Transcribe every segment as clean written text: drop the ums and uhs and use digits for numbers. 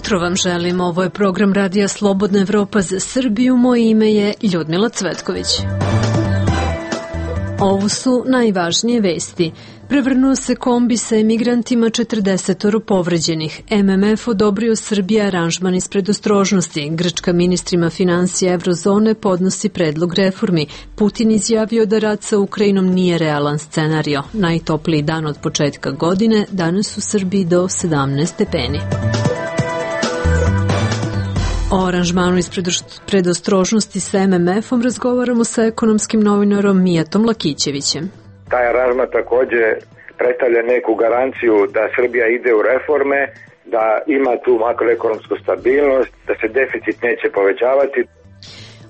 jutro vam želim. Ovo je program Radija Slobodna Evropa za Srbiju. Moje ime je Ljudmila Cvetković. Ovo su najvažnije vesti. Prevrnuo se kombi sa emigrantima, 40 povređenih. MMF odobrio Srbiji aranžman iz predostrožnosti. Grčka ministrima financija Evrozone podnosi predlog reformi. Putin izjavio da rat sa Ukrajinom nije realan scenario. Najtopliji dan od početka godine, danas u Srbiji do 17 stepeni. O aranžmanu iz predostrožnosti sa MMF-om razgovaramo sa ekonomskim novinarom Mijatom Lakićevićem. Taj aranžman također predstavlja neku garanciju da Srbija ide u reforme, da ima tu makroekonomsku stabilnost, da se deficit neće povećavati.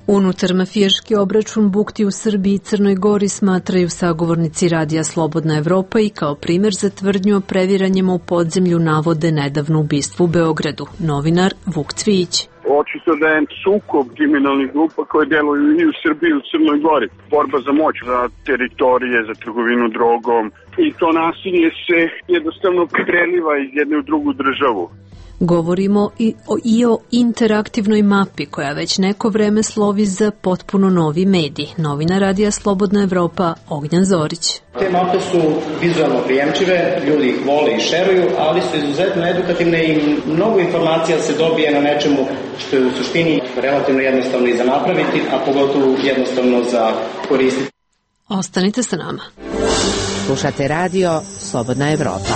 Unutar mafijaški obračun bukti u Srbiji i Crnoj Gori smatraju sagovornici Radija Slobodna Evropa i kao primjer za tvrdnju o previranjima u podzemlju navode nedavno ubistvo u Beogradu. Novinar Vuk Cvijić. Očito da je sukob kriminalnih grupa koje deluju i u Srbiji i u Crnoj Gori. Borba za moć, za teritorije, za trgovinu drogom i to nasilje se jednostavno preliva iz jedne u drugu državu. Govorimo i o interaktivnoj mapi koja već neko vreme slovi za potpuno novi medij. Novina Radija Slobodna Evropa Ognjan Zorić. Te mape su vizualno prijemčive, ljudi ih vole i šeruju, ali su izuzetno edukativne i mnogo informacija se dobije na nečemu što je u suštini relativno jednostavno i za napraviti, a pogotovo jednostavno za koristiti. Ostanite sa nama. Slušate Radio Slobodna Evropa.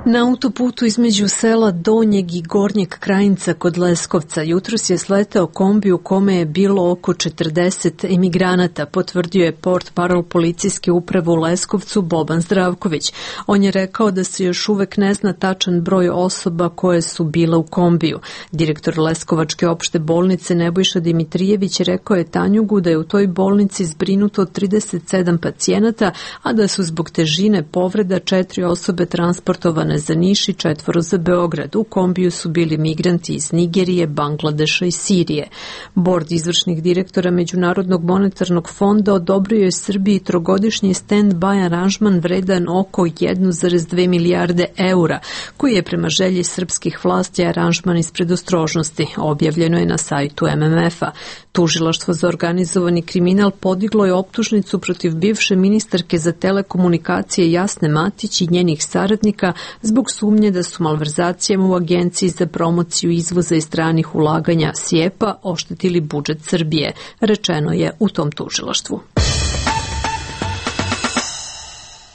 Na autoputu između sela Donjeg i Gornjeg Krajinca kod Leskovca jutros je sletao kombi u kome je bilo oko 40 emigranata, potvrdio je portparol policijske uprave u Leskovcu Boban Zdravković. On je rekao da se još uvek ne zna tačan broj osoba koje su bile u kombiju. Direktor Leskovačke opšte bolnice Nebojša Dimitrijević rekao je Tanjugu da je u toj bolnici zbrinuto 37 pacijenata, a da su zbog težine povreda 4 osobe transportovane za Niš i 4 za Beograd. U kombiju su bili migranti iz Nigerije, Bangladeša i Sirije. Bord izvršnih direktora Međunarodnog monetarnog fonda odobrio je Srbiji trogodišnji stand-by aranžman vredan oko 1,2 milijarde eura, koji je prema želji srpskih vlasti aranžman iz predostrožnosti. Objavljeno je na sajtu MMF-a. Tužilaštvo za organizovani kriminal podiglo je optužnicu protiv bivše ministarke za telekomunikacije Jasne Matić i njenih saradnika zbog sumnje da su malverzacijama u Agenciji za promociju izvoza i stranih ulaganja SIEPA oštetili budžet Srbije, rečeno je u tom tužilaštvu.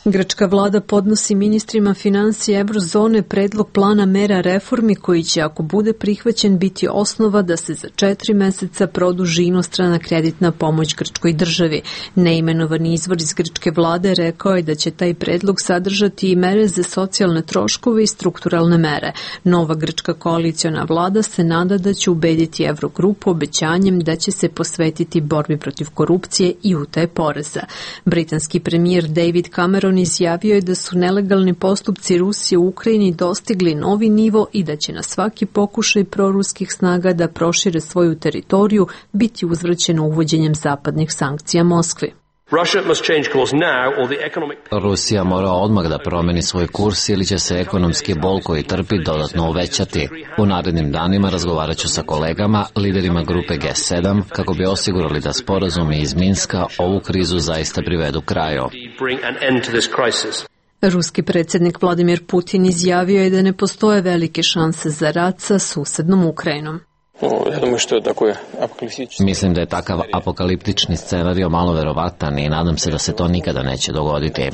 Grčka vlada podnosi ministrima financija Evrozone predlog plana mera reformi koji će, ako bude prihvaćen, biti osnova da se za 4 meseca produži inostrana kreditna pomoć grčkoj državi. Neimenovani izvor iz grčke vlade rekao je da će taj predlog sadržati i mere za socijalne troškove i strukturalne mere. Nova grčka koaliciona vlada se nada da će ubediti Evrogrupu obećanjem da će se posvetiti borbi protiv korupcije i utaje poreza. Britanski premijer David Cameron izjavio je da su nelegalni postupci Rusije u Ukrajini dostigli novi nivo i da će na svaki pokušaj proruskih snaga da prošire svoju teritoriju biti uzvraćeno uvođenjem zapadnih sankcija Moskvi. Rusija mora odmah da promeni svoj kurs ili će se ekonomski bol koji trpi dodatno uvećati. U narednim danima razgovarat ću sa kolegama, liderima grupe G7, kako bi osigurali da sporazumi iz Minska ovu krizu zaista privedu kraju. Ruski predsjednik Vladimir Putin izjavio je da ne postoje velike šanse za rat sa susednom Ukrajinom. Mislim da je takav apokaliptični scenario malo verovatan i nadam se da se to nikada neće dogoditi.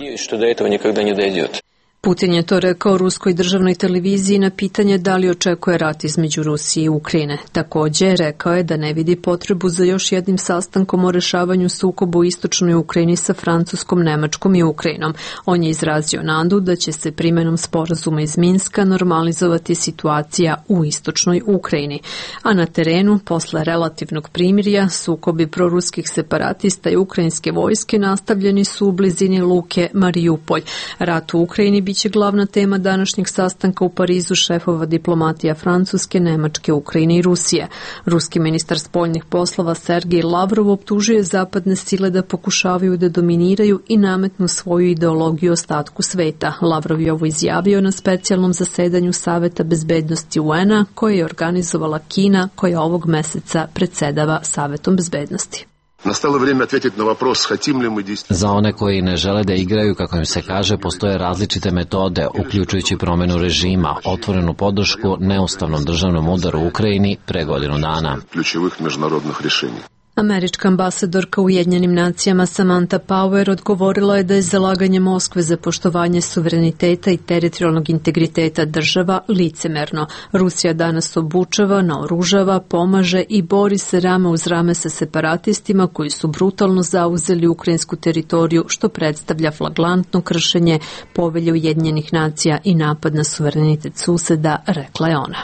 Putin je to rekao ruskoj državnoj televiziji na pitanje da li očekuje rat između Rusije i Ukrajine. Također rekao je da ne vidi potrebu za još jednim sastankom o rešavanju sukoba u istočnoj Ukrajini sa Francuskom, Nemačkom i Ukrajinom. On je izrazio nadu da će se primenom sporazuma iz Minska normalizovati situacija u istočnoj Ukrajini. A na terenu, posle relativnog primirja, sukobi proruskih separatista i ukrajinske vojske nastavljeni su u blizini luke Marijupolj. Rat u Ukrajini biće glavna tema današnjeg sastanka u Parizu šefova diplomatija Francuske, Nemačke, Ukrajine i Rusije. Ruski ministar spoljnih poslova Sergej Lavrov optužuje zapadne sile da pokušavaju da dominiraju i nametnu svoju ideologiju ostatku sveta. Lavrov je ovo izjavio na specijalnom zasedanju Saveta bezbednosti UN-a koje je organizovala Kina, koja ovog meseca predsedava Savetom bezbednosti. Настало время ответить на вопрос, хотим ли мы действительно. Za one koji ne žele da igraju, kako im se kaže, postoje različite metode, uključujući promenu režima, otvorenu podršku neustavnom državnom udaru u Ukrajini pre godinu dana. Ključevih međunarodnih rješenja. Američka ambasadorka u Ujedinjenim nacijama Samantha Power odgovorila je da je zalaganje Moskve za poštovanje suvereniteta i teritorijalnog integriteta država licemerno. Rusija danas obučava, naoružava, pomaže i bori se rame uz rame sa separatistima koji su brutalno zauzeli ukrajinsku teritoriju, što predstavlja flagrantno kršenje Povelje Ujedinjenih nacija i napad na suverenitet suseda, rekla je ona.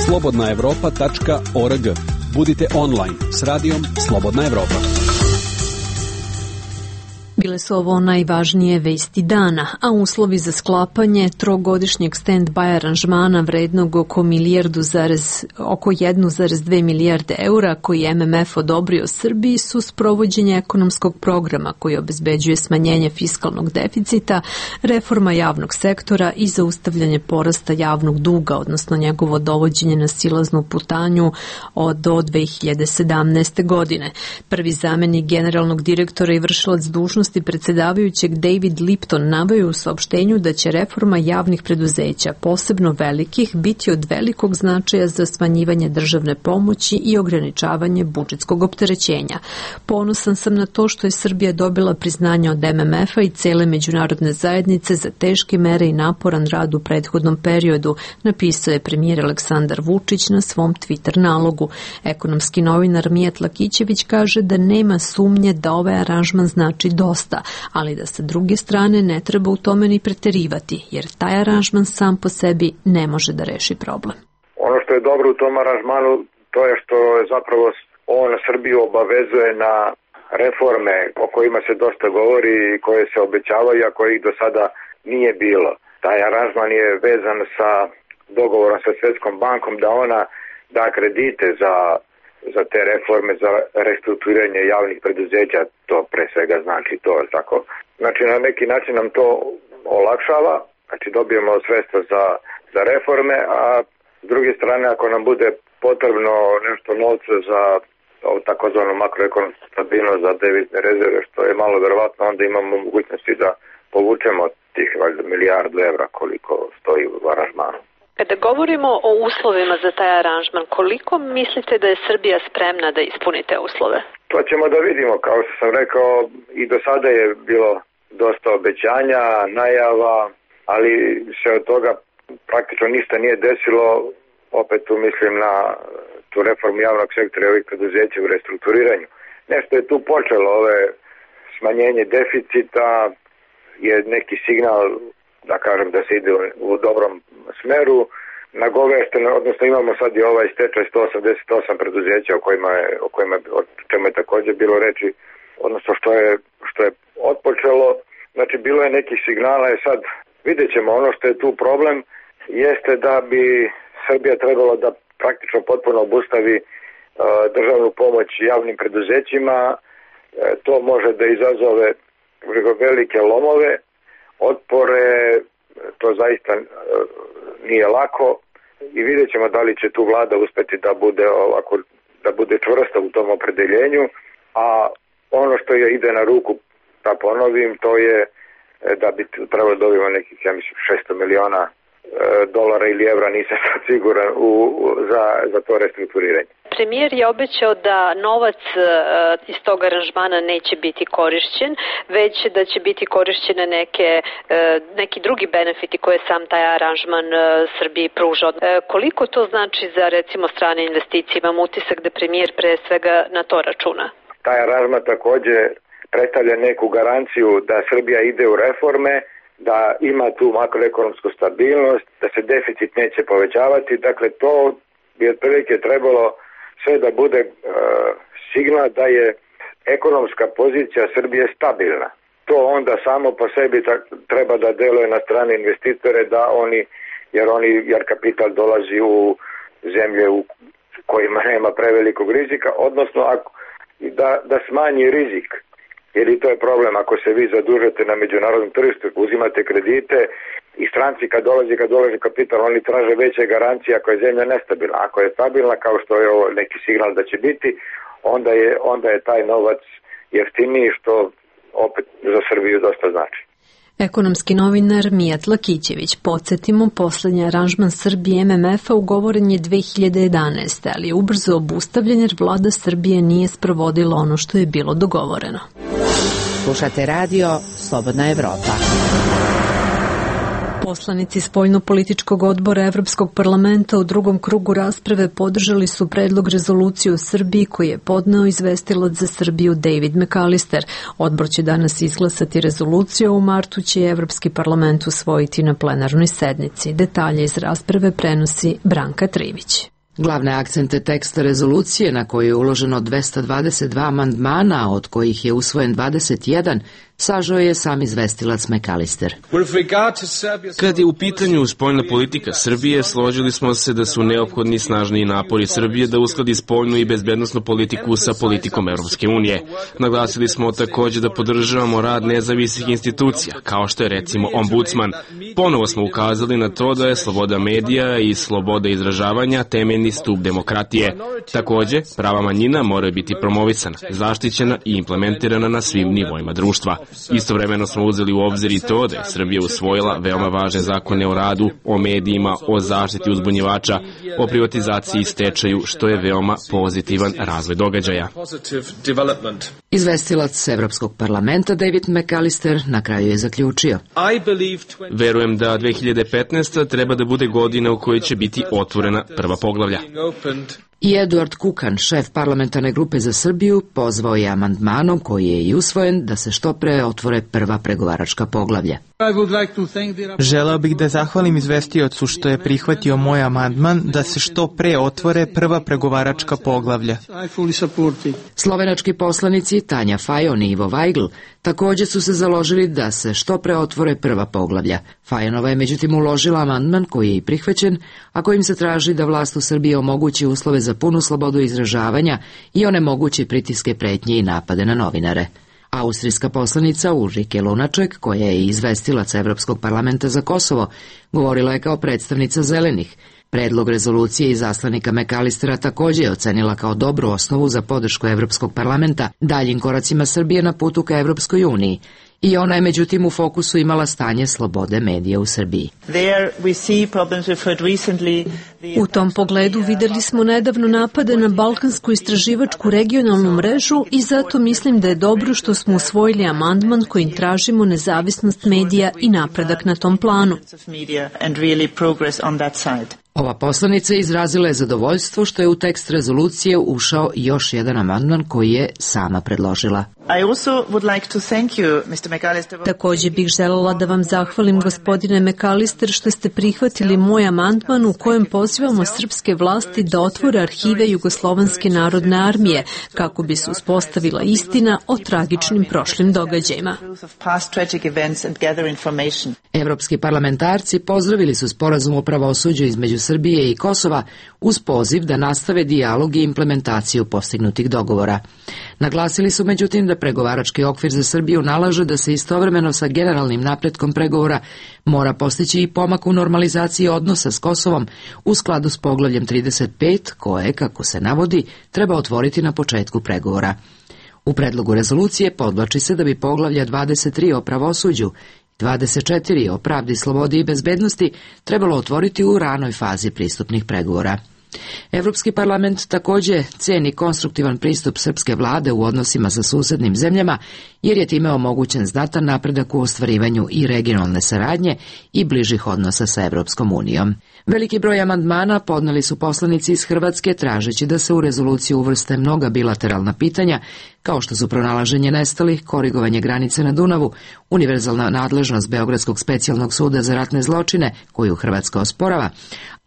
slobodnaevropa.org. Budite online s radijom Slobodna Evropa. Bile su ovo najvažnije vesti dana, a uslovi za sklapanje trogodišnjeg stand-by aranžmana vrednog oko 1,2 milijarde eura koji je MMF odobrio Srbiji su sprovođenje ekonomskog programa koji obezbeđuje smanjenje fiskalnog deficita, reforma javnog sektora i zaustavljanje porasta javnog duga, odnosno njegovo dovođenje na silaznu putanju do 2017. godine. Prvi zamenik generalnog direktora i vršilac dužnosti predsedavajućeg David Lipton naveo u saopštenju da će reforma javnih preduzeća, posebno velikih, biti od velikog značaja za smanjivanje državne pomoći i ograničavanje budžetskog opterećenja. Ponosan sam na to što je Srbija dobila priznanje od MMF-a i cele međunarodne zajednice za teške mere i naporan rad u prethodnom periodu, napisao je premijer Aleksandar Vučić na svom Twitter nalogu. Ekonomski novinar Mijat Lakićević kaže da nema sumnje da ovaj aranžman znači dosta, ali da sa druge strane ne treba u tome ni preterivati, jer taj aranžman sam po sebi ne može da reši problem. Ono što je dobro u tom aranžmanu, to je što zapravo on Srbiju obavezuje na reforme o kojima se dosta govori i koje se obećavaju, a kojih do sada nije bilo. Taj aranžman je vezan sa dogovorom sa Svjetskom bankom da ona da kredite za te reforme, za restrukturiranje javnih preduzeća, to pre svega znači to, tako. Znači na neki način nam to olakšava, znači dobijemo sredstva za reforme, a s druge strane ako nam bude potrebno nešto novca za takozvanu makroekonomsku stabilnost, za devizne rezerve, što je malo verovatno, onda imamo mogućnosti da povučemo tih milijardu evra koliko stoji u aranžmanu. Kada govorimo o uslovima za taj aranžman, koliko mislite da je Srbija spremna da ispuni te uslove? To ćemo da vidimo, kao što sam rekao, i do sada je bilo dosta obećanja, najava, ali se od toga praktično ništa nije desilo. Opet tu mislim na tu reformu javnog sektora i ovih preduzeća u restrukturiranju. Nešto je tu počelo, ove smanjenje deficita je neki signal, da kažem, da se ide u dobrom smeru. Nagovešteno, odnosno imamo sad i ovaj stečaj 188 preduzeća o čemu je također bilo reči, odnosno što je otpočelo. Znači bilo je nekih signala, sad vidjet ćemo. Ono što je tu problem jeste da bi Srbija trebala da praktično potpuno obustavi državnu pomoć javnim preduzećima. To može da izazove velike lomove, otpore, to zaista nije lako i vidjet ćemo da li će tu vlada uspeti da bude čvrsta u tom opredeljenju, a ono što je ide na ruku, da ponovim, to je da bi trebalo dobiti nekih, ja mislim, 600 miliona dolara ili evra, nisam sad siguran, za to restrukturiranje. Premijer je obećao da novac iz tog aranžmana neće biti korišćen, već da će biti korišćene neki drugi benefiti koje sam taj aranžman Srbiji pruža. Koliko to znači za recimo strane investicije? Imam utisak da premijer pre svega na to računa. Taj aranžman također predstavlja neku garanciju da Srbija ide u reforme, da ima tu makroekonomsku stabilnost, da se deficit neće povećavati. Dakle, to bi otprilike trebalo sve da bude signal da je ekonomska pozicija Srbije stabilna. to onda samo po sebi treba da deluje na strane investitore, da jer kapital dolazi u zemlje u kojima nema prevelikog rizika, odnosno da smanji rizik. Jer i to je problem, ako se vi zadužete na međunarodnom tržištu, uzimate kredite i stranci kad dolazi kapital, oni traže veće garancije ako je zemlja nestabilna. Ako je stabilna, kao što je ovo neki signal da će biti, onda je taj novac jeftiniji, što opet za Srbiju dosta znači. Ekonomski novinar Mijat Lakićević. Podsjetimo, poslednji aranžman Srbije MMF-a ugovoren je 2011. ali je ubrzo obustavljen jer vlada Srbije nije sprovodila ono što je bilo dogovoreno. Slušate radio Slobodna Evropa. Poslanici Spoljno-političkog odbora Evropskog parlamenta u drugom krugu rasprave podržali su predlog rezolucije o Srbiji koji je podneo izvestilac za Srbiju David McAllister. Odbor će danas izglasati rezoluciju, a u martu će Evropski parlament usvojiti na plenarnoj sednici. Detalje iz rasprave prenosi Branka Trivić. Glavne akcente teksta rezolucije, na koju je uloženo 222 amandmana, od kojih je usvojen 21, sažao je sam izvestilac McAllister. Kad je u pitanju spoljna politika Srbije, složili smo se da su neophodni snažniji napori Srbije da uskladi spoljnu i bezbednosnu politiku sa politikom Evropske unije. Naglasili smo također da podržavamo rad nezavisnih institucija, kao što je recimo ombudsman. Ponovo smo ukazali na to da je sloboda medija i sloboda izražavanja temeljni stup demokratije. Također, prava manjina moraju biti promovisana, zaštićena i implementirana na svim nivoima društva. Istovremeno smo uzeli u obzir i to da je Srbija usvojila veoma važne zakone o radu, o medijima, o zaštiti uzbunjivača, o privatizaciji i stečaju, što je veoma pozitivan razvoj događaja. Izvestilac Evropskog parlamenta David McAllister na kraju je zaključio. Verujem da 2015. treba da bude godina u kojoj će biti otvorena prva poglavlja. I Eduard Kukan, šef parlamentarne grupe za Srbiju, pozvao je amandmanom koji je i usvojen da se što pre otvore prva pregovaračka poglavlja. Želeo bih da zahvalim izvestiocu što je prihvatio moj amandman da se što pre otvore prva pregovaračka poglavlja. Slovenački poslanici Tanja Fajon i Ivo Weigl također su se založili da se što pre otvore prva poglavlja. Fajonova je međutim uložila amandman koji je i prihvaćen, a kojim se traži da vlast u Srbiji omogući uslove za punu slobodu izražavanja i onemogući pritiske, pretnje i napade na novinare. Austrijska poslanica Ulrike Lunaček, koja je izvestilac Evropskog parlamenta za Kosovo, govorila je kao predstavnica Zelenih. Predlog rezolucije izaslanika McAllistera također je ocenila kao dobru osnovu za podršku Evropskog parlamenta daljim koracima Srbije na putu ka Evropskoj uniji. I ona je međutim u fokusu imala stanje slobode medija u Srbiji. U tom pogledu videli smo nedavno napade na balkansku istraživačku regionalnu mrežu i zato mislim da je dobro što smo usvojili amandman kojim tražimo nezavisnost medija i napredak na tom planu. Ova poslanica izrazila je zadovoljstvo što je u tekst rezolucije ušao još jedan amandman koji je sama predložila. Također bih željela da vam zahvalim, gospodine McAllister, što ste prihvatili moj amandman u kojem pozivamo srpske vlasti da otvore arhive Jugoslovenske narodne armije kako bi se uspostavila istina o tragičnim prošlim događajima. Evropski parlamentarci pozdravili su sporazum o pravosuđu između Srbije i Kosova uz poziv da nastave dijalog i implementaciju postignutih dogovora. Naglasili su međutim da pregovarački okvir za Srbiju nalaže da se istovremeno sa generalnim napretkom pregovora mora postići i pomak u normalizaciji odnosa s Kosovom u skladu s poglavljem 35 koje, kako se navodi, treba otvoriti na početku pregovora. U predlogu rezolucije podvlači se da bi poglavlja 23 o pravosuđu 24 o pravdi, slobodi i bezbednosti trebalo otvoriti u ranoj fazi pristupnih pregovora. Evropski parlament također ceni konstruktivan pristup srpske vlade u odnosima sa susednim zemljama, jer je time omogućen znatan napredak u ostvarivanju i regionalne saradnje i bližih odnosa sa Evropskom unijom. Veliki broj amandmana podneli su poslanici iz Hrvatske tražeći da se u rezoluciju uvrste mnoga bilateralna pitanja, kao što su pronalaženje nestalih, korigovanje granice na Dunavu, univerzalna nadležnost Beogradskog specijalnog suda za ratne zločine, koju Hrvatska osporava,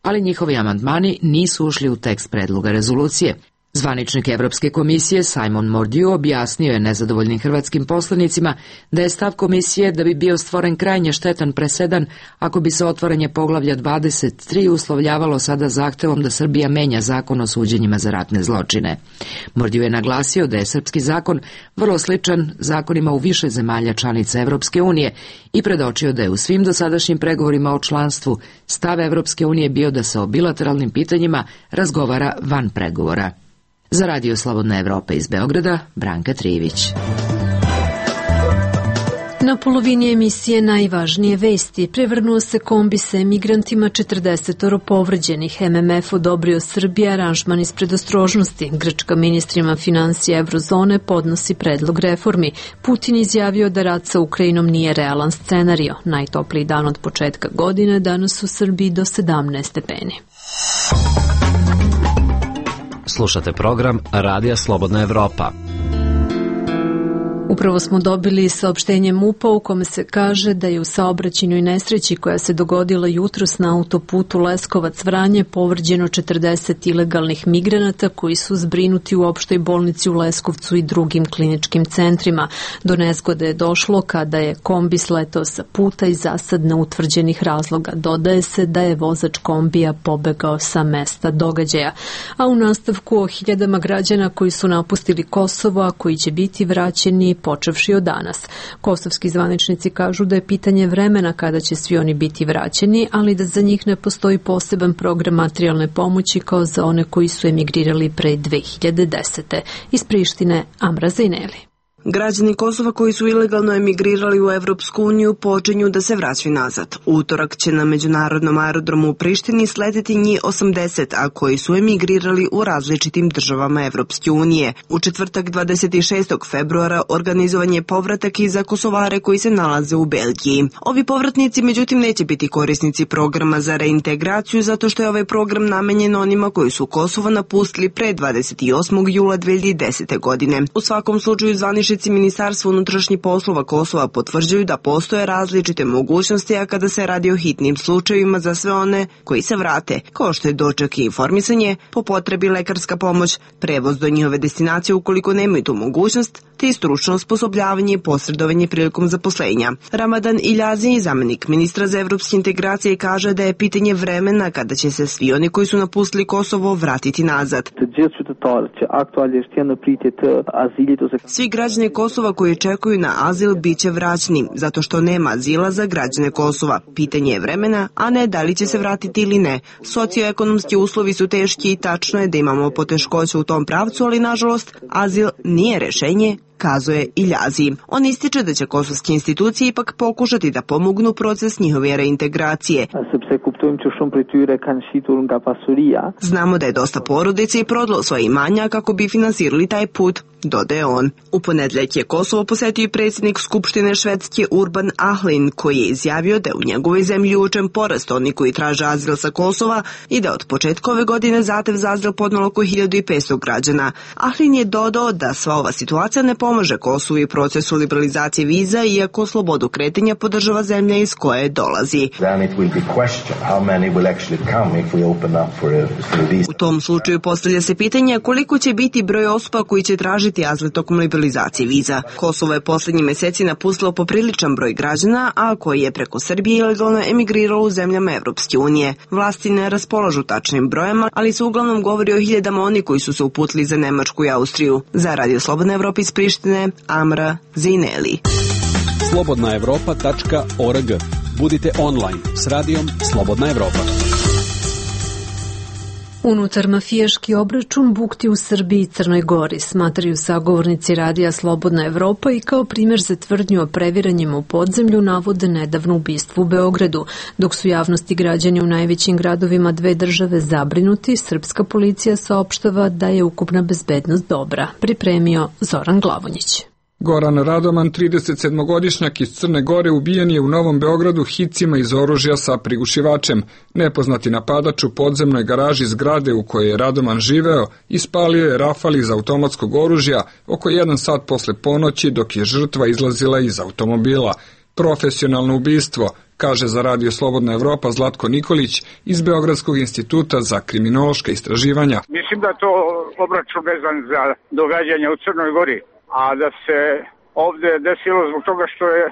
ali njihovi amandmani nisu ušli u tekst predloga rezolucije. Zvaničnik Evropske komisije Simon Mordiu objasnio je nezadovoljnim hrvatskim poslanicima da je stav komisije da bi bio stvoren krajnje štetan presedan ako bi se otvaranje poglavlja 23 uslovljavalo sada zahtevom da Srbija menja zakon o suđenjima za ratne zločine. Mordiu je naglasio da je srpski zakon vrlo sličan zakonima u više zemalja članica Evropske unije i predočio da je u svim dosadašnjim pregovorima o članstvu stav Evropske unije bio da se o bilateralnim pitanjima razgovara van pregovora. Za Radio Slobodna Evropa iz Beograda, Branka Trivić. Na polovini emisije najvažnije vesti prevrnuo se kombi sa emigrantima, 40 povređenih. MMF odobrio Srbiji aranžman iz predostrožnosti. Grčka ministrima financija Evrozone podnosi predlog reformi. Putin izjavio da rat sa Ukrajinom nije realan scenario. Najtopliji dan od početka godine, danas u Srbiji do 17 stepeni. Slušate program Radija Slobodna Evropa. Upravo smo dobili saopštenje MUP-a u kome se kaže da je u saobraćajnoj nesreći koja se dogodila jutros na autoputu Leskovac-Vranje povređeno 40 ilegalnih migranata koji su zbrinuti u opštoj bolnici u Leskovcu i drugim kliničkim centrima. Do nezgode je došlo kada je kombi sletao sa puta i zasad neutvrđenih razloga. Dodaje se da je vozač kombija pobegao sa mesta događaja. A u nastavku o hiljadama građana koji su napustili Kosovo, a koji će biti vraćeni počevši od danas. Kosovski zvaničnici kažu da je pitanje vremena kada će svi oni biti vraćeni, ali da za njih ne postoji poseban program materijalne pomoći kao za one koji su emigrirali pre 2010. Iz Prištine, Amra Zajneli. Građani Kosova koji su ilegalno emigrirali u Evropsku uniju počinju da se vraćaju nazad. Utorak će na međunarodnom aerodromu u Prištini sleteti njih 80, a koji su emigrirali u različitim državama Evropske unije. U četvrtak 26. februara organizovan je povratak i za Kosovare koji se nalaze u Belgiji. Ovi povratnici međutim neće biti korisnici programa za reintegraciju zato što je ovaj program namenjen onima koji su Kosovo napustili pre 28. jula 2010. godine. U svakom slučaju zvaničnici Ministarstva unutrašnjih poslova Kosova potvrđuju da postoje različite mogućnosti, a kada se radi o hitnim slučajevima za sve one koji se vrate, kao što je doček i informisanje, po potrebi lekarska pomoć, prevoz do njihove destinacije ukoliko nemaju tu mogućnost, te i stručno osposobljavanje i posredovanje prilikom zaposlenja. Ramadan Iljazi, zamenik ministra za evropske integracije, kaže da je pitanje vremena kada će se svi oni koji su napustili Kosovo vratiti nazad. Svi građani Kosova koji čekuju na azil bit će vraćeni, zato što nema azila za građane Kosova. Pitanje je vremena, a ne da li će se vratiti ili ne. Socioekonomski uslovi su teški i tačno je da imamo poteškoće u tom pravcu, ali nažalost azil nije rešenje, kazuje Iljazi. On ističe da će kosovske institucije ipak pokušati da pomognu proces njihove reintegracije. Znamo da je dosta porodica i prodalo svoje imanja kako bi finansirali taj put, dodaje on. U ponedeljak je Kosovo posetio i predsjednik Skupštine Švedske Urban Ahlin, koji je izjavio da je u njegovoj zemlji uočen porast oni koji traže azil sa Kosova i da od početka ove godine zahtev za azil podnelo oko 1500 građana. Ahlin je dodao da sva ova situacija ne pomaže Kosovu i procesu liberalizacije viza, iako slobodu kretanja podržava zemlja iz koje dolazi. U tom slučaju postavlja se pitanje koliko će biti broj osoba koji će tražiti azil tokom liberalizacije viza. Kosovo je poslednji meseci napustilo popriličan broj građana, a koji je preko Srbije ilegalno emigriralo u zemljama Evropske unije. Vlasti ne raspolažu tačnim brojem, ali se uglavnom govori o hiljadama oni koji su se uputili za Nemačku i Austriju. Za Radio Slobodna Evropa iz Prištine, Amra Zajneli. slobodnaevropa.org. Budite online s radijom Slobodna Evropa. Unutar mafijaški obračun bukti u Srbiji i Crnoj Gori, smatraju sagovornici Radija Slobodna Evropa i kao primjer za tvrdnju o previranjima u podzemlju navode nedavno ubistvo u Beogradu. Dok su javnosti građani u najvećim gradovima dve države zabrinuti, srpska policija saopštava da je ukupna bezbednost dobra. Pripremio Zoran Glavonjić. Goran Radoman, 37-godišnjak iz Crne Gore, ubijen je u Novom Beogradu hicima iz oružja sa prigušivačem. Nepoznati napadač u podzemnoj garaži zgrade u kojoj je Radoman živeo ispalio je rafal iz automatskog oružja oko 1 sat posle ponoći dok je žrtva izlazila iz automobila. Profesionalno ubistvo, kaže za Radio Slobodna Evropa Zlatko Nikolić iz Beogradskog instituta za kriminološka istraživanja. Mislim da to obračun vezan za događanja u Crnoj Gori, a da se ovde desilo zbog toga što je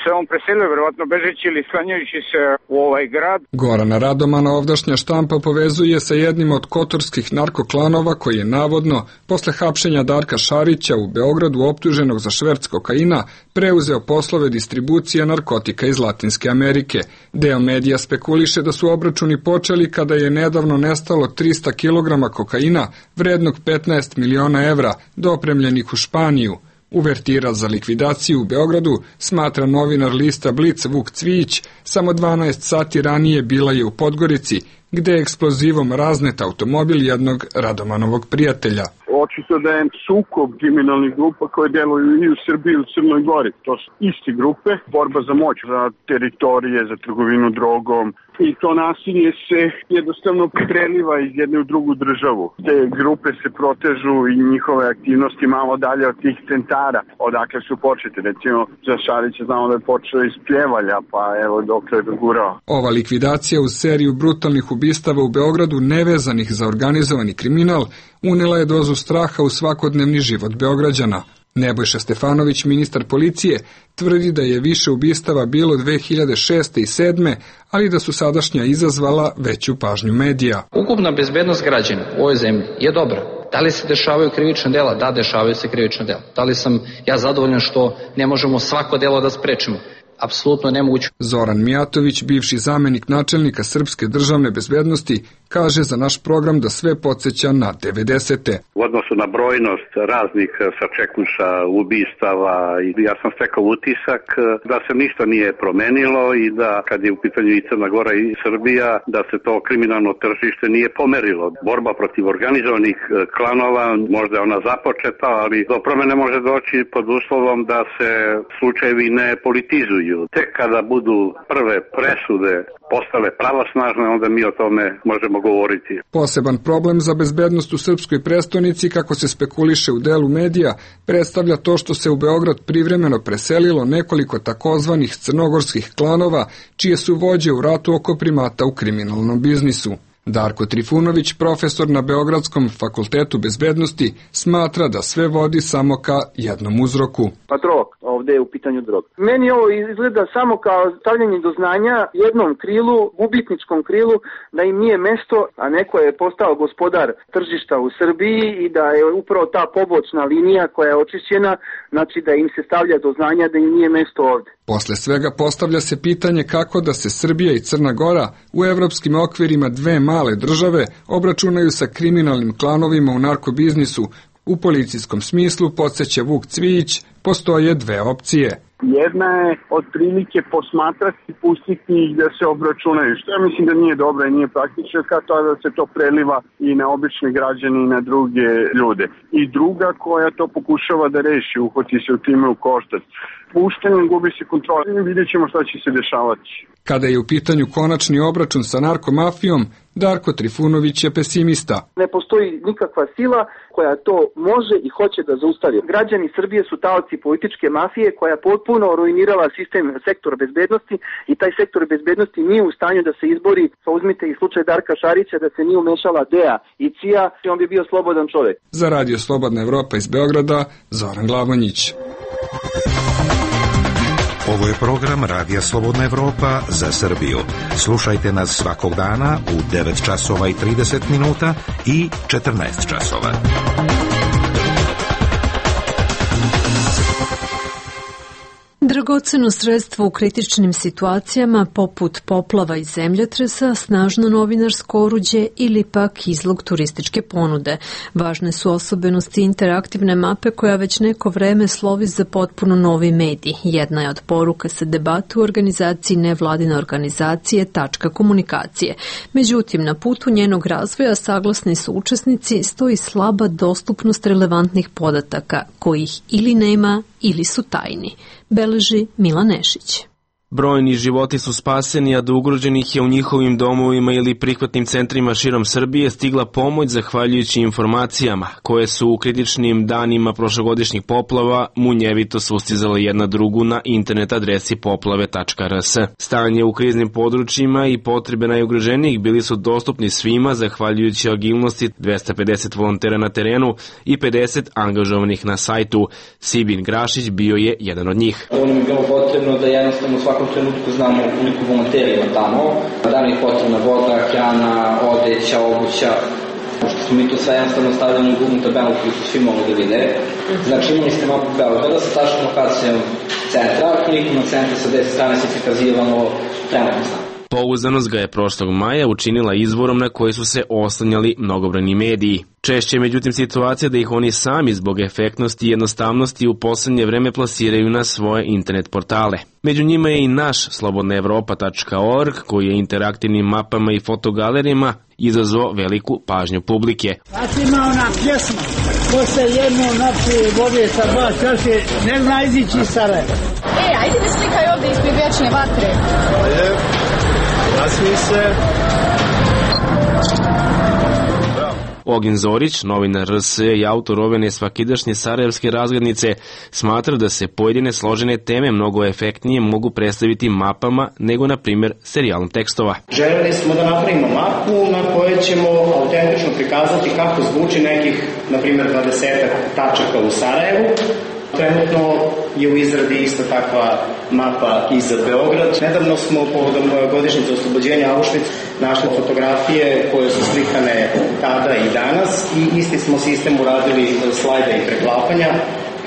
se on preselio, verovatno bežeći ili sklanjajući se u ovaj grad. Gorana Radomana ovdašnja štampa povezuje sa jednim od kotorskih narkoklanova koji je navodno, posle hapšenja Darka Šarića u Beogradu optuženog za šverc kokaina, preuzeo poslove distribucije narkotika iz Latinske Amerike. Deo medija spekuliše da su obračuni počeli kada je nedavno nestalo 300 kg kokaina vrednog 15 miliona evra, dopremljenih u Španiju. Uvertira za likvidaciju u Beogradu, smatra novinar lista Blic Vuk Cvijić, samo 12 sati ranije bila je u Podgorici, gde je eksplozivom raznet automobil jednog Radomanovog prijatelja. Očito da je sukob kriminalnih grupa koje deluju i u Srbiji i u Crnoj Gori. To su isti grupe, borba za moć, za teritorije, za trgovinu drogom. I to nasilje se jednostavno preliva iz jedne u drugu državu. Te grupe se protežu i njihove aktivnosti malo dalje od tih centara, odakle su počete. Recimo, za Šarića znamo da je počeo iz Pljevalja, pa evo dokle je dogurao. Ova likvidacija uz seriju brutalnih ubistava u Beogradu nevezanih za organizovani kriminal unela je dozu straha u svakodnevni život Beograđana. Nebojša Stefanović, ministar policije, tvrdi da je više ubistava bilo 2006. i 2007. ali da su sadašnja izazvala veću pažnju medija. Ukupna bezbednost građana u ovoj zemlji je dobra. Da li se dešavaju krivična dela? Da, dešavaju se krivična dela. Da li sam ja zadovoljan što ne možemo svako delo da sprečimo? Apsolutno nemoguće. Zoran Mijatović, bivši zamenik načelnika Srpske državne bezbednosti, kaže za naš program da sve podsjeća na 90. U odnosu na brojnost raznih sačekuša, ubistava, ja sam stekao utisak da se ništa nije promenilo i da kad je u pitanju i Crna Gora i Srbija, da se to kriminalno tržište nije pomerilo. Borba protiv organizovanih klanova, možda je ona započeta, ali do promene može doći pod uslovom da se slučajevi ne politizuju. Tek kada budu prve presude postale pravosnažne, onda mi o tome možemo govoriti. Poseban problem za bezbednost u srpskoj prestonici, kako se spekuliše u delu medija, predstavlja to što se u Beograd privremeno preselilo nekoliko takozvanih crnogorskih klanova, čije su vođe u ratu oko primata u kriminalnom biznisu. Darko Trifunović, profesor na Beogradskom fakultetu bezbednosti, smatra da sve vodi samo ka jednom uzroku. Pa drog, ovde je u pitanju drog. Meni ovo izgleda samo kao stavljanje do znanja jednom krilu, gubitničkom krilu, da im nije mesto, a neko je postao gospodar tržišta u Srbiji i da je upravo ta pobočna linija koja je očišćena, znači da im se stavlja do znanja da im nije mesto ovde. Posle svega postavlja se pitanje kako da se Srbija i Crna Gora u evropskim okvirima dve male države obračunaju sa kriminalnim klanovima u narkobiznisu. U policijskom smislu, podsjeća Vuk Cvijić, postoje dve opcije. Jedna je otprilike posmatrati i pustiti ih da se obračunaju, što ja mislim da nije dobro i nije praktično, kao to da se to preliva i na obične građane i na druge ljude. I druga koja to pokušava da reši, uhvati se u time u koštac. Puštanjem gubi se kontrola i vidjet ćemo šta će se dešavati. Kada je u pitanju konačni obračun sa narkomafijom, Darko Trifunović je pesimista. Ne postoji nikakva sila koja to može i hoće da zaustavi. Građani Srbije su taoci političke mafije koja potpuno ruinirala sektor bezbednosti i taj sektor bezbednosti nije u stanju da se izbori. Pa uzmite i slučaj Darka Šarića, da se nije umešala DEA i CIA, on bi bio slobodan čovjek. Za Radio Slobodna Evropa iz Beograda, Zoran Glavonjić. Ovo je program Radija Slobodna Evropa za Srbiju. Slušajte nas svakog dana u 9 časova i 30 minuta i 14 časova. Dragoceno sredstvo u kritičnim situacijama poput poplava i zemljotresa, snažno novinarsko oruđe ili pak izlog turističke ponude. Važne su osobenosti interaktivne mape koja već neko vreme slovi za potpuno novi medij. Jedna je od poruka sa debate u organizaciji nevladine organizacije Tačka komunikacije. Međutim, na putu njenog razvoja saglasni su učesnici stoji slaba dostupnost relevantnih podataka, kojih ili nema ili su tajni. Beleži Milan Nešić. Brojni životi su spaseni, a do ugroženih je u njihovim domovima ili prihvatnim centrima širom Srbije stigla pomoć zahvaljujući informacijama koje su u kritičnim danima prošlogodišnjih poplava munjevito sustizale jedna drugu na internet adresi poplave.rs. Stanje u kriznim područjima i potrebe najugroženijih bili su dostupni svima zahvaljujući agilnosti 250 volontera na terenu i 50 angažovanih na sajtu. Sibin Grašić bio je jedan od njih. Ovo nam je bilo potrebno da jednostavno u svakom trenutku znamo koliko volontera ima tamo, da nam je potrebna voda, hrana, odeća, obuća. Pošto smo mi to sve jednostavno stavljali u Google tabelu koju su svi mogli da vide. Znači imali ste mapu Beograda sa tačnom lokacijom centra, klikom na centra sa 10 strane se prikazivano trenutno stanje. Pouzdanost ga je prošlog maja učinila izvorom na koji su se oslanjali mnogobrojni mediji. Češće je međutim situacija da ih oni sami zbog efektnosti i jednostavnosti u poslednje vreme plasiraju na svoje internet portale. Među njima je i naš slobodnaevropa.org koji je interaktivnim mapama i fotogalerijama izazvao veliku pažnju publike. Znači ima ona pjesma, ko se jedno napije vode sa dva čaše, ne zna izići iz Sarajeva. Ajde mi slikaj ovde ispred vječne vatre. Ajde, nasmij se. Ognjen Zorić, novinar RS i autor ove nesvakidašnje sarajevske razglednice, smatra da se pojedine složene teme mnogo efektnije mogu predstaviti mapama nego, na primjer, serijalom tekstova. Želeli smo da napravimo mapu na kojoj ćemo autentično prikazati kako zvuči nekih, na primjer, 20 tačaka u Sarajevu. Trenutno je u izradi ista takva mapa i za Beograd. Nedavno smo povodom godišnjice oslobođenja Auschwitz našli fotografije koje su slikane tada i danas i isti smo sistem uradili slajda i preklapanja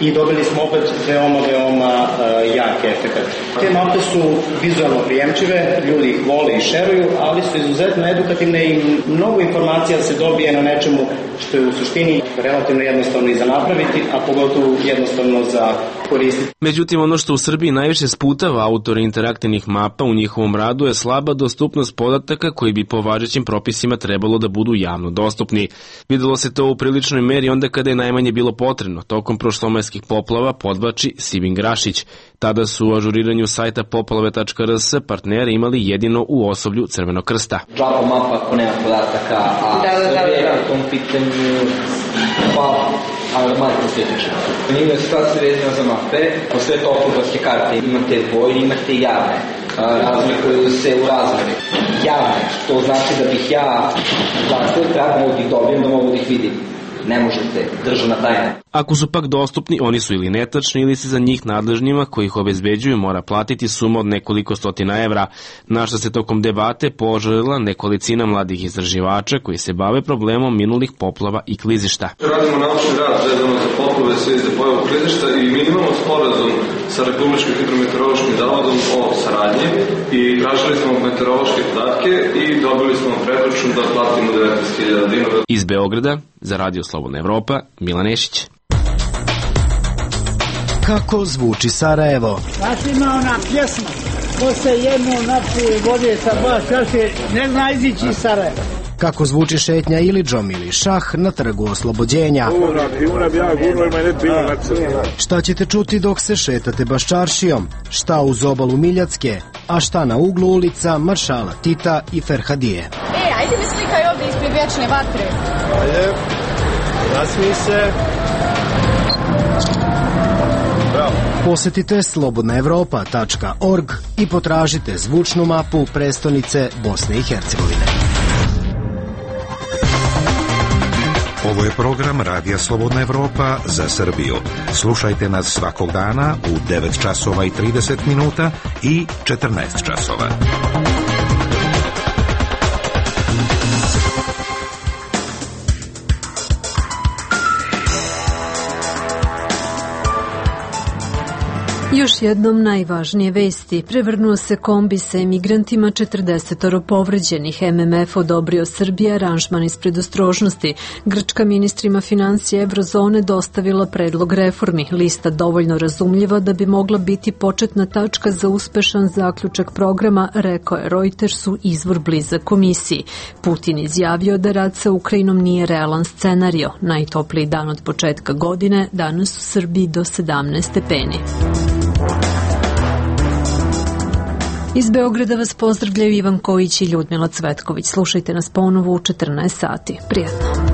i dobili smo opet veoma jak efekt. Te mape su vizualno prijemčive, ljudi ih vole i šeruju, ali su izuzetno edukativne i mnogo informacija se dobije na nečemu što je u suštini relativno jednostavno i za napraviti, a pogotovo jednostavno za koristiti. Međutim, ono što u Srbiji najviše sputava autore interaktivnih mapa u njihovom radu je slaba dostupnost podataka koji bi po važećim propisima trebalo da budu javno dostupni. Videlo se to u priličnoj meri onda kada je najmanje bilo potrebno. Tokom prošlomajskih poplava podvlači Sibin Grašić. Tada su u ažuriranju sajta poplave.rs partneri imali jedino u osoblju Crvenog krsta. Džaba mapa ako nema podataka, a Srbija u tom pitanju alarmantno svetična. Njima je situacija vezana za mape, postoje topografske karte, imate vojne, imate javne. Razlikuju se u razmeri. Javne, to znači da bih ja trebao da ih dobijem, da mogu da ih vidim. Ne možete, državna tajna. Ako su pak dostupni, oni su ili netačni ili se za njih nadležnjima koji ih obezbeđuju mora platiti suma od nekoliko stotina evra, na što se tokom debate poželjela nekolicina mladih istraživača koji se bave problemom minulih poplava i klizišta. Radimo naučni rad vezano za poplave, sve za pojavu klizišta i mi imamo sporazum sa Republičkim hidrometeorološkim zavodom o saradnji i tražili smo meteorološke podatke i dobili smo predračun da platimo 19.000 dinara. Iz Beograda, za Radio Slobodna Evropa, Milan Nešić. Kako zvuči Sarajevo? Znači ima ona pjesma, ko se jedno napije vode sa dva čaše, ne zna izići iz Sarajeva. Kako zvuči šetnja Ilidžom ili šah na trgu Oslobođenja? Šta ćete čuti dok se šetate Baščaršijom? Šta uz obalu Miljacke? A šta na uglu ulica Maršala Tita i Ferhadije? Ajde mi slikaj ovdje ispred vječne vatre. Ajde, nasmij se. Posetite slobodnaevropa.org i potražite zvučnu mapu prestonice Bosne i Hercegovine. Ovo je program Radija Slobodna Evropa za Srbiju. Slušajte nas svakog dana u 9 časova i 30 minuta i 14 časova. Još jednom najvažnije vesti. Prevrnuo se kombi sa emigrantima, 40 povređenih. MMF odobrio Srbiji aranžman iz predostrožnosti. Grčka ministrima financija Evrozone dostavila predlog reformi. Lista dovoljno razumljiva da bi mogla biti početna tačka za uspešan zaključak programa, rekao je Reutersu izvor blizak komisiji. Putin izjavio da rat sa Ukrajinom nije realan scenario. Najtopliji dan od početka godine, danas u Srbiji do 17 stepeni. Iz Beograda vas pozdravljaju Ivan Kojić i Ljudmila Cvetković. Slušajte nas ponovo u 14 sati. Prijatno.